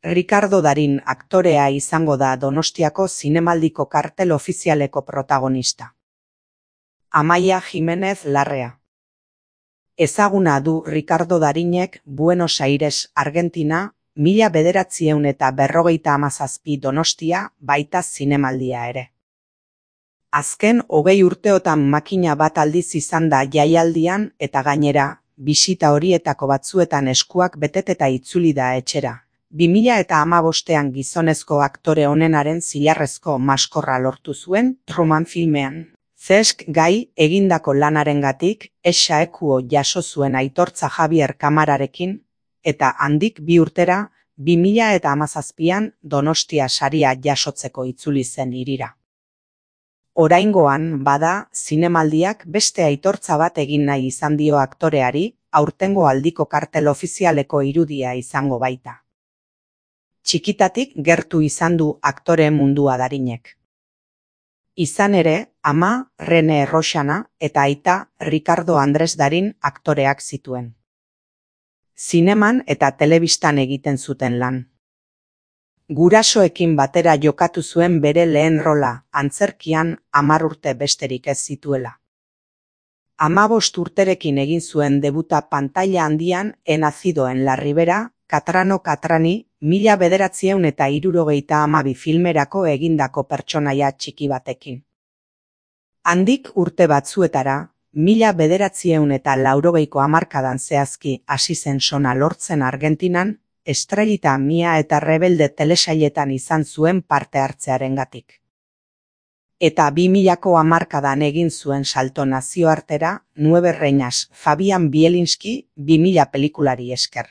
Ricardo Darín aktorea izango da Donostiako zinemaldiko kartel ofizialeko protagonista. Amaia Jimenez Larrea. Ezaguna du Ricardo Darinek Buenos Aires, Argentina, 1957 Donostia baita zinemaldia ere. Azken 20 urteotan makina bat aldiz izan da jaialdian eta gainera, bisita horietako batzuetan eskuak beteta itzuli da etxera. 2015an gizonezko aktore onenaren zilarrezko maskorra lortu zuen Truman filmean. Zesk gai egindako lanarengatik esaekuo jaso zuen aitortza Javier Kamararekin, eta handik 2 urtera, 2017an Donostia saria jasotzeko itzuli zen hirira. Oraingoan, bada, zinemaldiak beste aitortza bat egin nahi izan dio aktoreari, aurtengo aldiko kartel ofizialeko irudia izango baita. Txikitatik gertu izan du aktore mundua Darinek. Izan ere, ama Rene Roxana eta aita Ricardo Andres Darin aktoreak zituen. Zineman eta telebistan egiten zuten lan. Gurasoekin batera jokatu zuen bere lehen rola, antzerkian 10 urte besterik ez zituela. 15 urterekin egin zuen debuta pantaila handian He nacido en la Ribera, Catrano Catrani, 1972 filmerako egindako pertsonaia txiki batekin. Handik urte batzuetara, 1980ko hamarkadan zehazki hasi zen sona lortzen Argentinan, Estrellita Mia eta Rebelde telesailetan izan zuen parte hartzearengatik. Eta 2000ko hamarkadan egin zuen salto nazioartera, 9 reinas Fabian Bielinski 2000 pelikulari esker.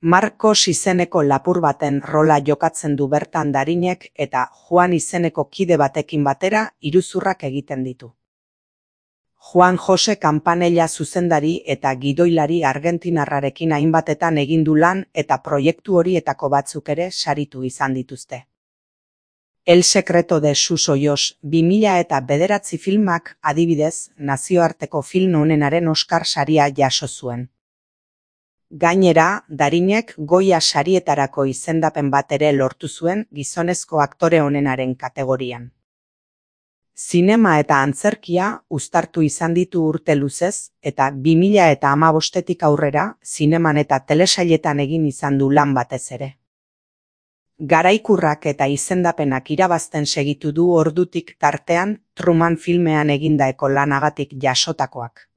Marcos izeneko lapur baten rola jokatzen du bertan Darinek eta Juan izeneko kide batekin batera iruzurrak egiten ditu. Juan Jose Campanella zuzendari eta gidoilari argentinarrarekin hainbatetan egin du lan eta proiektu horietako batzuk ere saritu izan dituzte. El secreto de sus ojos 2009 filmak adibidez nazioarteko film onenaren Oscar saria jaso zuen. Gainera, Darinek Goya sarietarako izendapen bat ere lortu zuen gizonezko aktore onenaren kategorian. Zinema eta antzerkia uztartu izan ditu urte luzez eta 2015tik aurrera zineman eta telesailetan egin izan du lan batez ere. Garaikurrak eta izendapenak irabazten segitu du ordutik tartean Truman filmean egindaeko lanagatik jasotakoak.